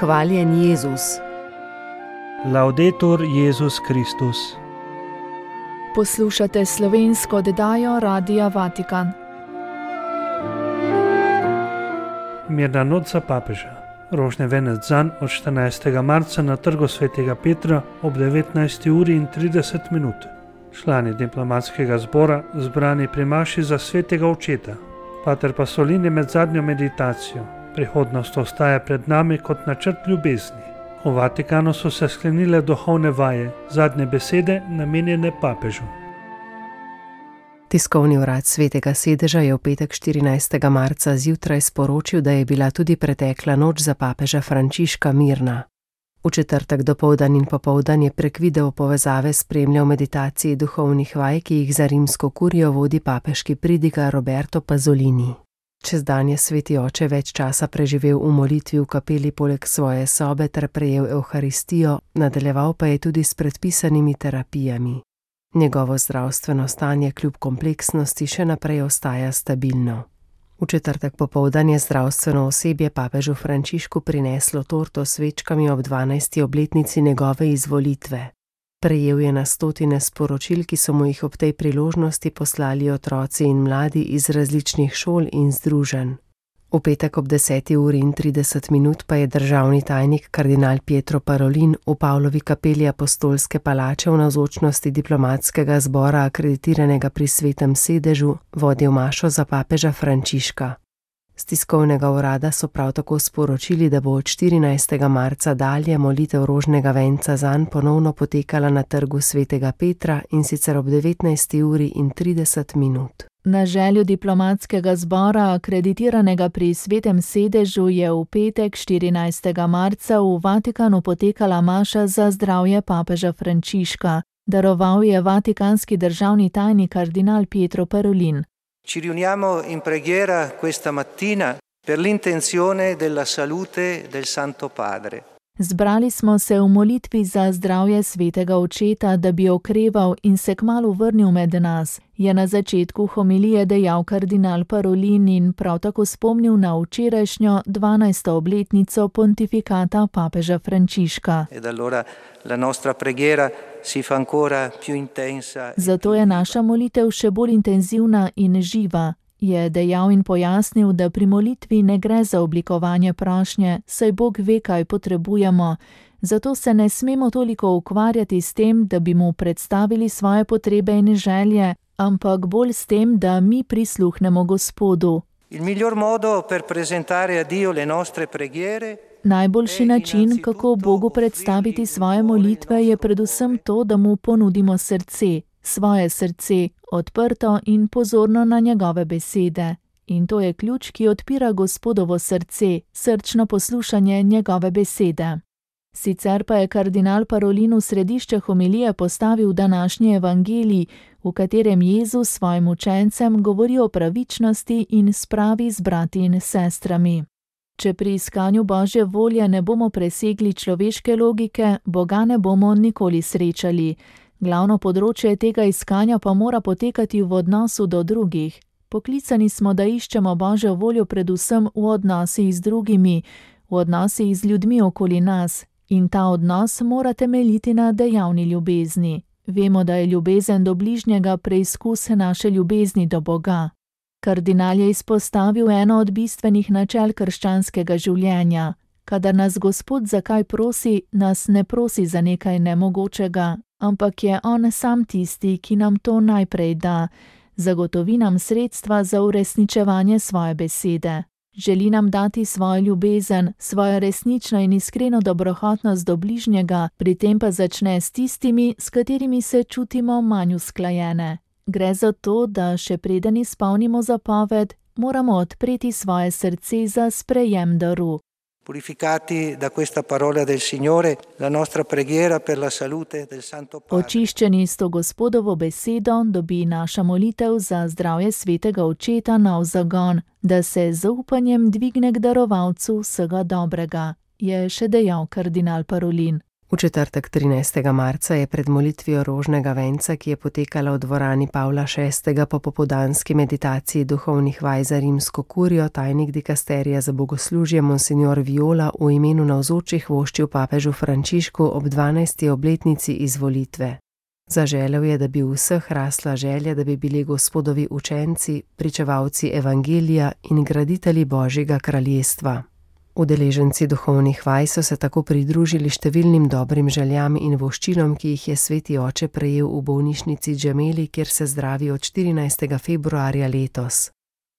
Hvaljen Jezus. Laudetur Jezus Kristus. Poslušate slovensko oddajo Radia Vatikan. Mirna noč za papeža. Rožni venec zanj od 14. marca na trgu svetega Petra ob 19:30. Člani diplomatskega zbora zbrani pri maši za svetega očeta. Pater Pasolini med zadnjo meditacijo. Prihodnost ostaja pred nami kot načrt ljubezni. V Vatikanu so se sklenile duhovne vaje, zadnje besede namenjene papežu. Tiskovni urad Svetega sedeža je v petek 14. marca zjutraj sporočil, da je bila tudi pretekla noč za papeža Frančiška mirna. V četrtek dopoldan in popoldan je prek video povezave spremljal meditaciji duhovnih vaj, ki jih za rimsko kurijo vodi papeški pridigar Roberto Pasolini. Čez dan je sveti oče več časa preživel v molitvi v kapeli poleg svoje sobe ter prejel evharistijo, nadaljeval pa je tudi s predpisanimi terapijami. Njegovo zdravstveno stanje kljub kompleksnosti še naprej ostaja stabilno. V četrtek popoldan je zdravstveno osebje papežu Frančišku prineslo torto s svečkami ob 12. obletnici njegove izvolitve. Prejel je na stotine sporočil, ki so mu jih ob tej priložnosti poslali otroci in mladi iz različnih šol in združenj. V petek ob 10:30 pa je državni tajnik kardinal Pietro Parolin v Pavlovi kapeli Apostolske palače v navzočnosti diplomatskega zbora akreditiranega pri svetem sedežu vodil mašo za papeža Frančiška. Z tiskovnega urada so prav tako sporočili, da bo od 14. marca dalje molitev rožnega venca zanj ponovno potekala na trgu svetega Petra in sicer ob 19:30. Na željo diplomatskega zbora, akreditiranega pri svetem sedežu, je v petek 14. marca v Vatikanu potekala maša za zdravje papeža Frančiška. Daroval je vatikanski državni tajnik kardinal Pietro Parolin. Ci riuniamo in preghiera questa mattina per l'intenzione della salute del Santo Padre. Zbrali smo se v molitvi za zdravje svetega očeta, da bi okreval in se kmalu vrnil med nas, je na začetku homilije dejal kardinal Parolin in prav tako spomnil na včerajšnjo 12. obletnico pontifikata papeža Frančiška. Ed allora la nostra preghiera si fa ancora più intensa. Zato je naša molitev še bolj intenzivna in živa, je dejal in pojasnil, da pri molitvi ne gre za oblikovanje prošnje, saj Bog ve, kaj potrebujemo. Zato se ne smemo toliko ukvarjati s tem, da bi mu predstavili svoje potrebe in želje, ampak bolj s tem, da mi prisluhnemo Gospodu. Il miglior modo per presentare a Dio le nostre preghiere. Najboljši način, kako Bogu predstaviti svoje molitve, je predvsem to, da mu ponudimo srce, svoje srce, odprto in pozorno na njegove besede. In to je ključ, ki odpira Gospodovo srce, srčno poslušanje njegove besede. Sicer pa je kardinal Parolin v središče homilije postavil današnji evangelij, v katerem Jezus svojim učencem govori o pravičnosti in spravi z brati in sestrami. Če pri iskanju Božje volje ne bomo presegli človeške logike, Boga ne bomo nikoli srečali. Glavno področje tega iskanja pa mora potekati v odnosu do drugih. Poklicani smo, da iščemo Božjo voljo predvsem v odnosih z drugimi, v odnosih z ljudmi okoli nas. In ta odnos mora temeljiti na dejavni ljubezni. Vemo, da je ljubezen do bližnjega preizkus naše ljubezni do Boga. Kardinal je izpostavil eno od bistvenih načel krščanskega življenja. Kadar nas Gospod za kaj prosi, nas ne prosi za nekaj nemogočega, ampak je on sam tisti, ki nam to najprej da. Zagotovi nam sredstva za uresničevanje svoje besede. Želi nam dati svojo ljubezen, svojo resnično in iskreno dobrohotnost do bližnjega, pri tem pa začne s tistimi, s katerimi se čutimo manj usklajene. Gre za to, da še preden izpolnimo zapoved, moramo odpreti svoje srce za sprejem daru. Purificati da questa parola del Signore, la nostra preghiera per la salute del Santo Padre. Očiščeni s to Gospodovo besedo dobi naša molitev za zdravje svetega očeta nov zagon, da se z zaupanjem dvigne k darovalcu vsega dobrega, je še dejal kardinal Parolin. V četrtek 13. marca je pred molitvijo rožnega venca, ki je potekala v dvorani Pavla VI. Po popoldanski meditaciji duhovnih vaj za rimsko kurijo, tajnik dikasterija za bogoslužje monsignor Viola v imenu navzočih voščil papežu Frančišku ob 12. obletnici izvolitve. Zaželel je, da bi v vseh rasla želja, da bi bili Gospodovi učenci, pričevalci evangelija in graditelji Božjega kraljestva. Udeleženci duhovnih vaj so se tako pridružili številnim dobrim željam in voščilom, ki jih je sveti oče prejel v bolnišnici Džemeli, kjer se zdravi od 14. februarja letos.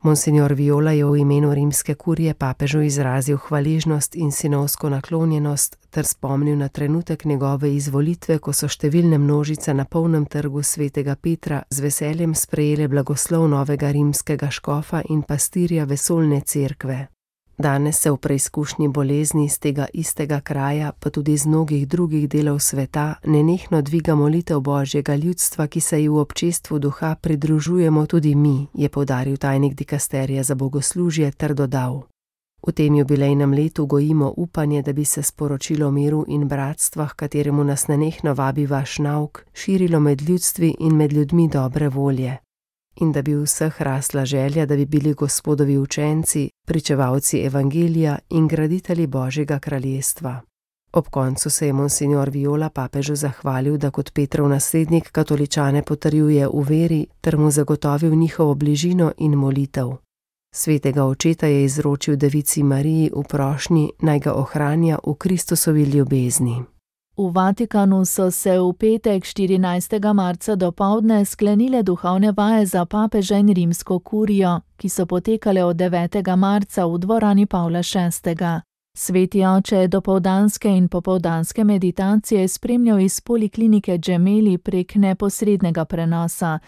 Monsignor Viola je v imenu rimske kurije papežu izrazil hvaležnost in sinovsko naklonjenost ter spomnil na trenutek njegove izvolitve, ko so številne množice na polnem trgu svetega Petra z veseljem sprejele blagoslov novega rimskega škofa in pastirja vesoljne cerkve. Danes se v preizkušnji bolezni iz tega istega kraja, pa tudi iz mnogih drugih delov sveta, nenehno dviga molitev Božjega ljudstva, ki se ji v občestvu duha pridružujemo tudi mi, je poudaril tajnik dikasterija za bogoslužje ter dodal: V tem jubilejnem letu gojimo upanje, da bi se sporočilo miru in bratstva, h kateremu nas nenehno vabi vaš nauk, širilo med ljudstvi in med ljudmi dobre volje. In da bi v vseh rasla želja, da bi bili Gospodovi učenci, pričevalci evangelija in graditelji Božjega kraljestva. Ob koncu se je monsignor Viola papežu zahvalil, da kot Petrov naslednik katoličane potrjuje v veri ter mu zagotovil njihovo bližino in molitev. Svetega očeta je izročil Devici Mariji v prošnji, naj ga ohranja v Kristusovi ljubezni. V Vatikanu so se v petek 14. marca dopoldne sklenile duhovne vaje za papeža in rimsko kurijo, ki so potekale od 9. marca v dvorani Pavla VI. Sveti oče je dopoldanske in popoldanske meditacije spremljal iz poliklinike Džemeli prek neposrednega prenosa.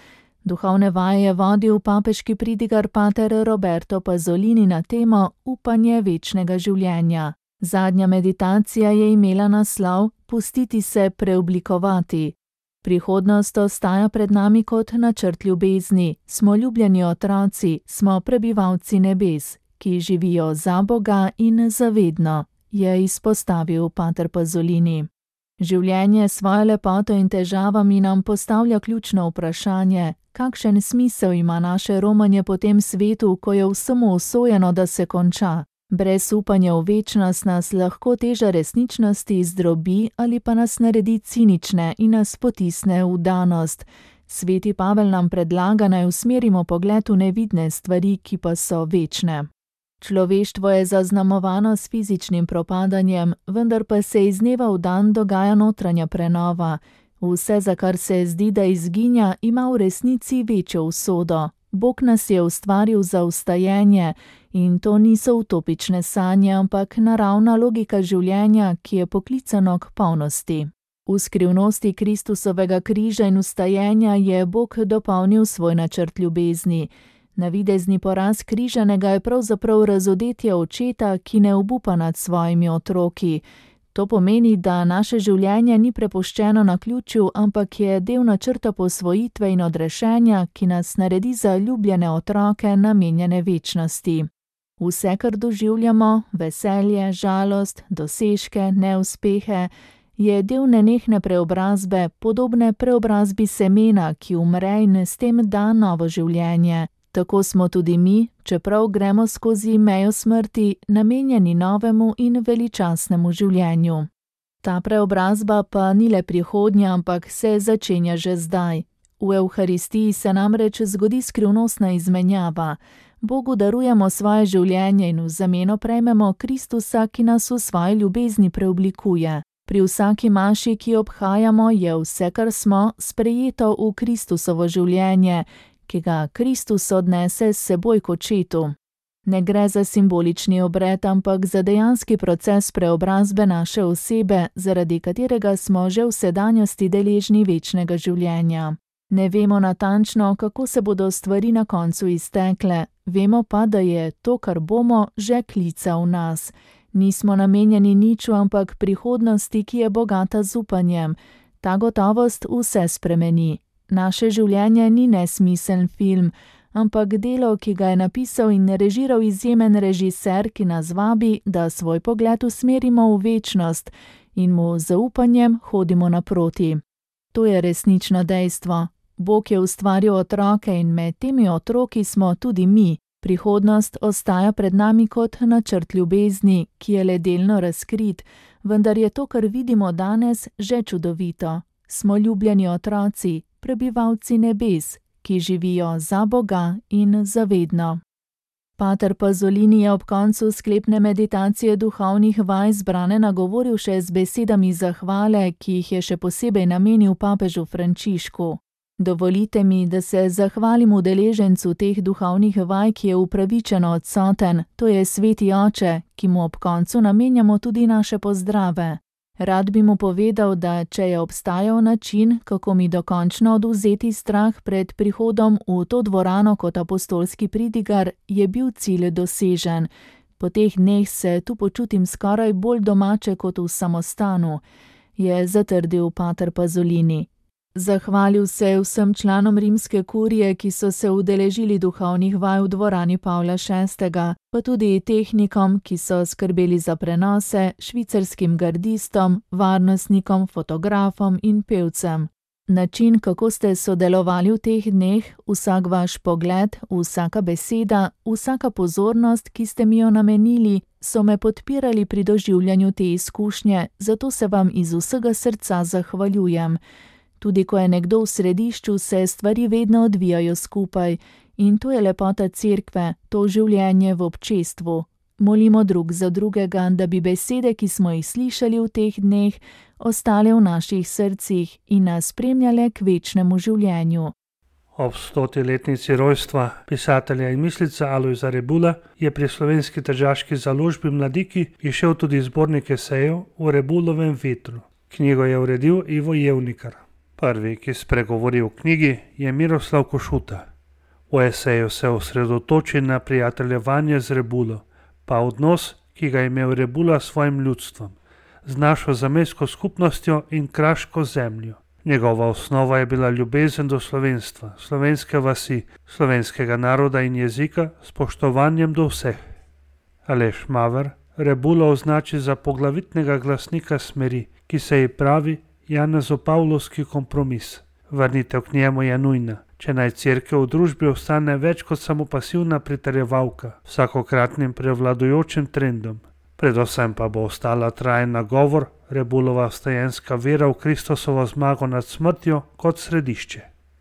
Duhovne vaje je vodil papeški pridigar pater Roberto Pasolini na temo Upanje večnega življenja. Zadnja meditacija je imela naslov Pustiti se preoblikovati. Prihodnost ostaja pred nami kot načrt ljubezni, smo ljubljeni otroci, smo prebivalci nebes, ki živijo za Boga in zavedno, je izpostavil pater Pasolini. Življenje s svojo lepoto in težavami nam postavlja ključno vprašanje, kakšen smisel ima naše romanje po tem svetu, ko je vsemu usojeno, da se konča. Brez upanja v večnost nas lahko teža resničnosti zdrobi ali pa nas naredi cinične in nas potisne v danost. Sveti Pavel nam predlaga, naj usmerimo pogled v nevidne stvari, ki pa so večne. Človeštvo je zaznamovano s fizičnim propadanjem, vendar pa se iz dneva v dan dogaja notranja prenova. Vse, za kar se zdi, da izginja, ima v resnici večjo usodo. Bog nas je ustvaril za vstajenje in to niso utopične sanje, ampak naravna logika življenja, ki je poklicano k polnosti. V skrivnosti Kristusovega križa in vstajenja je Bog dopolnil svoj načrt ljubezni. Navidezni poraz križanega je pravzaprav razodetje očeta, ki ne obupa nad svojimi otroki. To pomeni, da naše življenje ni prepuščeno naključju, ampak je del načrta posvojitve in odrešenja, ki nas naredi za ljubljene otroke namenjene večnosti. Vse, kar doživljamo, veselje, žalost, dosežke, neuspehe, je del nenehne preobrazbe, podobne preobrazbi semena, ki umre in s tem da novo življenje. Tako smo tudi mi, čeprav gremo skozi mejo smrti, namenjeni novemu in veličastnemu življenju. Ta preobrazba pa ni le prihodnja, ampak se začenja že zdaj. V Evharistiji se namreč zgodi skrivnostna izmenjava. Bogu darujemo svoje življenje in v zameno prejmemo Kristusa, ki nas v svoji ljubezni preoblikuje. Pri vsaki maši, ki jo obhajamo, je vse, kar smo, sprejeto v Kristusovo življenje, ki ga Kristus odnese s seboj k očetu. Ne gre za simbolični obred, ampak za dejanski proces preobrazbe naše osebe, zaradi katerega smo že v sedanjosti deležni večnega življenja. Ne vemo natančno, kako se bodo stvari na koncu iztekle, vemo pa, da je to, kar bomo, že klica v nas. Nismo namenjeni niču, ampak prihodnosti, ki je bogata z upanjem. Ta gotovost vse spremeni. Naše življenje ni nesmiseln film, ampak delo, ki ga je napisal in režiral izjemen režiser, ki nas vabi, da svoj pogled usmerimo v večnost in mu z zaupanjem hodimo naproti. To je resnično dejstvo. Bog je ustvaril otroke in med temi otroki smo tudi mi. Prihodnost ostaja pred nami kot načrt ljubezni, ki je le delno razkrit, vendar je to, kar vidimo danes, že čudovito. Smo ljubljeni otroci, prebivalci nebes, ki živijo za Boga in zavedno. Pater Pasolini je ob koncu sklepne meditacije duhovnih vaj zbrane nagovoril še z besedami zahvale, ki jih je še posebej namenil papežu Frančišku. Dovolite mi, da se zahvalim udeležencu teh duhovnih vaj, ki je upravičeno odsoten, to je Sveti Oče, ki mu ob koncu namenjamo tudi naše pozdrave. Rad bi mu povedal, da če je obstajal način, kako mi dokončno odvzeti strah pred prihodom v to dvorano kot apostolski pridigar, je bil cilj dosežen. Po teh dneh se tu počutim skoraj bolj domače kot v samostanu, je zatrdil pater Pasolini. Zahvalil se je vsem članom rimske kurije, ki so se udeležili duhovnih vaj v dvorani Pavla VI., pa tudi tehnikom, ki so skrbeli za prenose, švicarskim gardistom, varnostnikom, fotografom in pevcem. Način, kako ste sodelovali v teh dneh, vsak vaš pogled, vsaka beseda, vsaka pozornost, ki ste mi jo namenili, so me podpirali pri doživljanju te izkušnje, zato se vam iz vsega srca zahvaljujem. Tudi ko je nekdo v središču, se stvari vedno odvijajo skupaj in to je lepota cerkve, to življenje v občestvu. Molimo drug za drugega, da bi besede, ki smo jih slišali v teh dneh, ostale v naših srcih in nas spremljale k večnemu življenju. Ob 100-letnici rojstva pisatelja in mislica Alojza Rebula je pri Slovenski tržaški založbi Mladiki izšel tudi zbornik esejev o Rebulovem vetru. Knjigo je uredil Ivo Jevnikar. Prvi, ki spregovori v knjigi, je Miroslav Košuta. V eseju se osredotoči na prijateljevanje z Rebulo, pa odnos, ki ga je imel Rebula s svojim ljudstvom, z našo zamejsko skupnostjo in kraško zemljo. Njegova osnova je bila ljubezen do slovenstva, slovenske vasi, slovenskega naroda in jezika, spoštovanjem do vseh. Aleš Maver Rebulo označi za poglavitnega glasnika smeri, ki se ji pravi Janezopavlovski kompromis. Vrnitev k njemu je nujna, če naj cerkev v družbi ostane več kot samo pasivna pritrjevalka vsakokratnim prevladujočim trendom. Predvsem pa bo ostala trajen nagovor, Rebulova vstajenska vera v Kristusovo zmago nad smrtjo kot središče.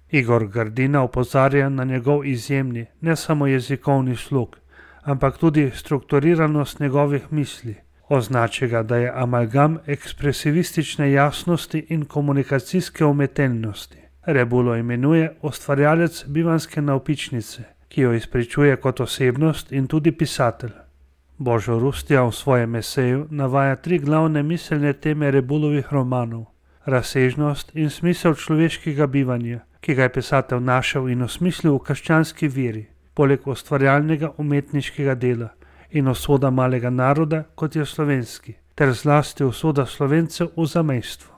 Igor Grdina opozarja na njegov izjemni, ne samo jezikovni slog, ampak tudi strukturiranost njegovih misli. Označi ga, da je amalgam ekspresivistične jasnosti in komunikacijske umetelnosti. Rebulo imenuje ustvarjalec bivanske navpičnice, ki jo izpričuje kot osebnost in tudi pisatelj. Božo Rustja v svojem eseju navaja 3 glavne miselne teme Rebulovih romanov: razsežnost in smisel človeškega bivanja, ki ga je pisatelj našel in osmislil v krščanski veri, poleg ustvarjalnega umetniškega dela, in usoda malega naroda, kot je slovenski, ter zlasti usoda Slovencev v zamejstvu.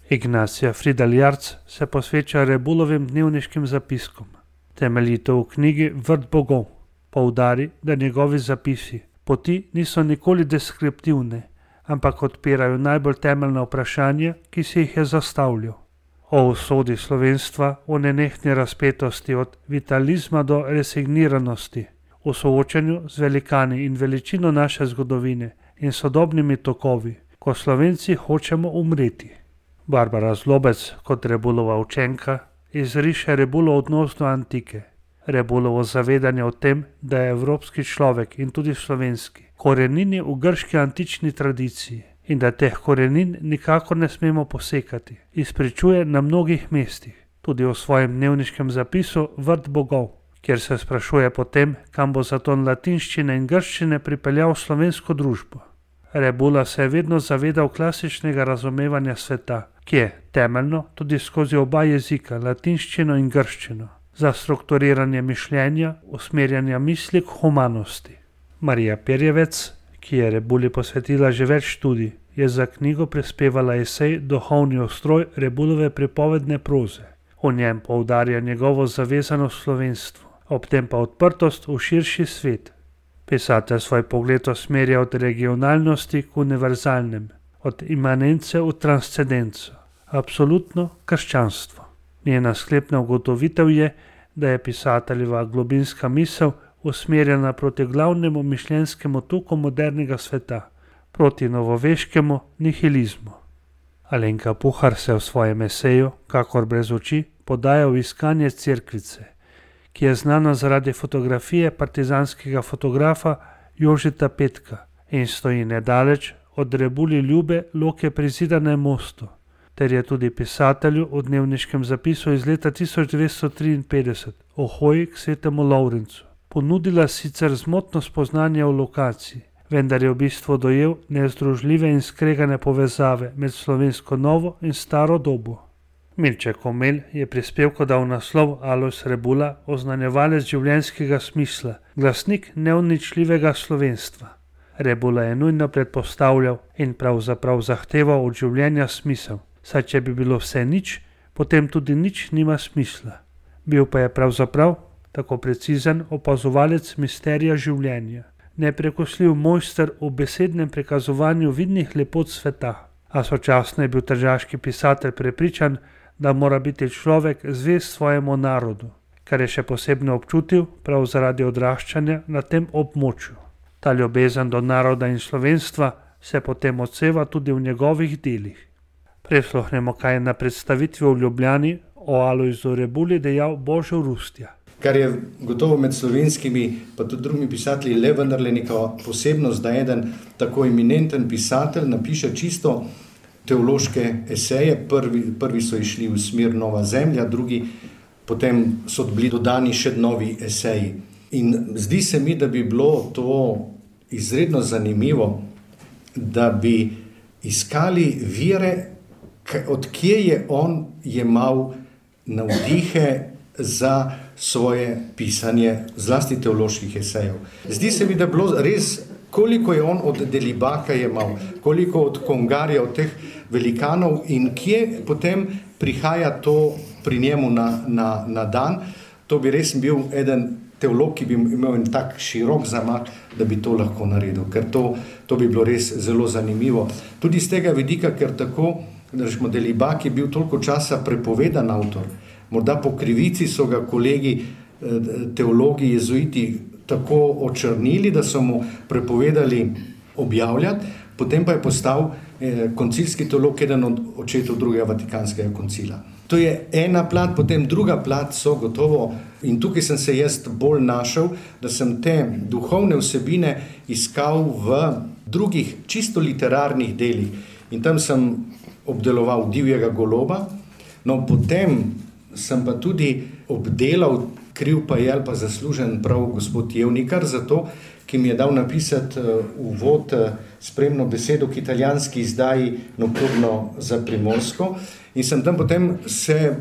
Ignacija Fridel Jarc se posveča Rebulovim dnevniškim zapiskom. Temeljito v knjigi Vrt bogov poudari, da njegovi zapisi poti niso nikoli deskriptivne, ampak odpirajo najbolj temeljna vprašanja, ki si jih je zastavljal. O usodi slovenstva, o nenehni razpetosti od vitalizma do resigniranosti, v soočanju z velikani in veličino naše zgodovine in sodobnimi tokovi, ko Slovenci hočemo umreti. Barbara Zlobec, kot Rebulova učenka, izriše Rebulov odnos do antike, Rebulovo zavedanje o tem, da je evropski človek in tudi slovenski korenini v grški antični tradiciji in da teh korenin nikakor ne smemo posekati, izpričuje na mnogih mestih, tudi v svojem dnevniškem zapisu Vrt bogov, kjer se sprašuje potem, kam bo zaton latinščine in grščine pripeljal slovensko družbo. Rebula se je vedno zavedal klasičnega razumevanja sveta, ki je temeljno tudi skozi oba jezika, latinščino in grščino, za strukturiranje mišljenja, usmerjanja misli k humanosti. Marija Perjevec, ki je Rebuli posvetila že več študij, je za knjigo prispevala esej Duhovni ustroj Rebulove pripovedne proze. V njem poudarja njegovo zavezanost slovenstvu, ob tem pa odprtost v širši svet. Pisatelj svoj pogled usmerja od regionalnosti k univerzalnem, od imanence v transcendenco, absolutno krščanstvo. Njena sklepna ugotovitev je, da je pisateljeva globinska misel usmerjena proti glavnemu mišljenjskemu toku modernega sveta, proti novoveškemu nihilizmu. Alenka Puhar se v svojem eseju, Kakor brez oči, podaja v iskanje cerkvice, ki je znana zaradi fotografije partizanskega fotografa Jožeta Petka in stoji nedaleč od Rebuli Ljube Loke pri Zidanem mostu, ter je tudi pisatelju v dnevniškem zapisu iz leta 1953 o hoji k svetemu Lovrencu ponudila sicer zmotno spoznanje o lokaciji, vendar je v bistvu dojel nezdružljive in skregane povezave med slovensko novo in staro dobo. Milče Komelj je prispevku dal naslov Alojz Rebula, oznanjevalec življenjskega smisla, glasnik neuničljivega slovenstva. Rebula je nujno predpostavljal in pravzaprav zahteval od življenja smisel, saj če bi bilo vse nič, potem tudi nič nima smisla. Bil pa je pravzaprav tako precizen opazovalec misterija življenja, neprekosljiv mojster v besednem prikazovanju vidnih lepot sveta, a sočasno je bil tržaški pisatelj prepričan, da mora biti človek zvest svojemu narodu, kar je še posebno občutil prav zaradi odraščanja na tem območju. Ta ljubezen do naroda in slovenstva se potem odseva tudi v njegovih delih. Prisluhnemo, kaj je na predstavitvi v Ljubljani o Alojzu Rebuli dejal Božo Rustja. Kar je gotovo med slovenskimi, pa tudi drugimi pisatelji, le vendarle neka posebnost, da eden tako eminenten pisatelj napiše čisto teološke eseje. Prvi so išli v smer Nova zemlja, drugi potem so bili dodani še novi eseji. In zdi se mi, da bi bilo to izredno zanimivo, da bi iskali vire, od kje je on jemal navdihe za svoje pisanje, zlasti teoloških esejev. Zdi se mi, da je bilo res, koliko je on od Delibaka jemal, koliko od Kongarja, od teh velikanov in kje potem prihaja to pri njemu na dan. To bi res bil eden teolog, ki bi imel en tak širok zamah, da bi to lahko naredil, ker to bi bilo res zelo zanimivo. Tudi z tega vidika, ker tako, da rečemo, Delibak je bil toliko časa prepovedan avtor. Morda po krivici so ga kolegi teologi jezuiti tako očrnili, da so mu prepovedali objavljati, potem pa je postal koncilski teolog, eden od očetov drugega Vatikanskega koncila. To je ena plat, potem druga plat so gotovo, in tukaj sem se jaz bolj našel, da sem te duhovne vsebine iskal v drugih čisto literarnih delih. In tam sem obdeloval Divjega goloba, no potem sem pa tudi obdelal, kriv pa je ali pa zaslužen prav gospod Jevnikar, zato, ki mi je dal napisati uvod spremno besedo k italijanski izdaji Nocturno za Primorsko. In sem tam potem se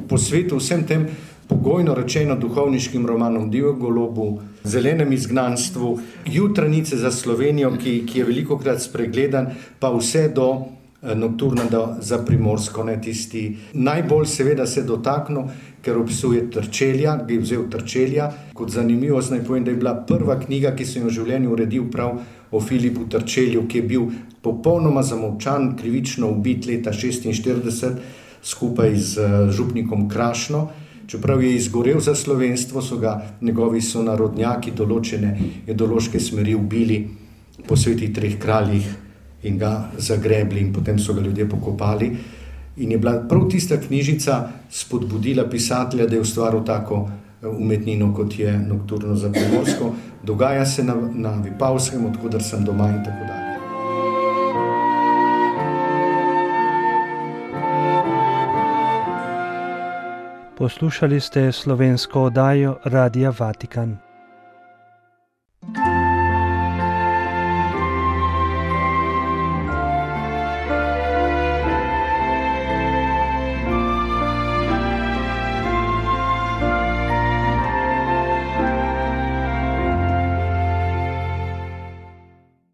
posvetil vsem tem pogojno rečeno duhovniškim romanom Divjemu golobu, Zelenem izgnanstvu, Jutranice za Slovenijo, ki je velikokrat spregledan, pa vse do Nocturna za Primorsko, ne tisti. Najbolj seveda se dotaknil, ker opisuje Trčelja, bi vzel Trčelja. Kot zanimivost naj povem, da je bila prva knjiga, ki sem jo v življenju uredil prav o Filipu Trčelju, ki je bil popolnoma zamolčan, krivično ubit leta 1946 skupaj z župnikom Krašno. Čeprav je izgorel za slovenstvo, so ga njegovi sonarodnjaki določene ideološke smeri ubili po Svetih treh kraljih in ga zagrebli in potem so ga ljudje pokopali. In je bila prav tista knjižica spodbudila pisatelja, da je ustvaril tako umetnino, kot je Nocturno za Primorsko. Dogaja se na Vipavskem, odkudar sem doma in tako dalje. Poslušali ste slovensko oddajo Radia Vatikan.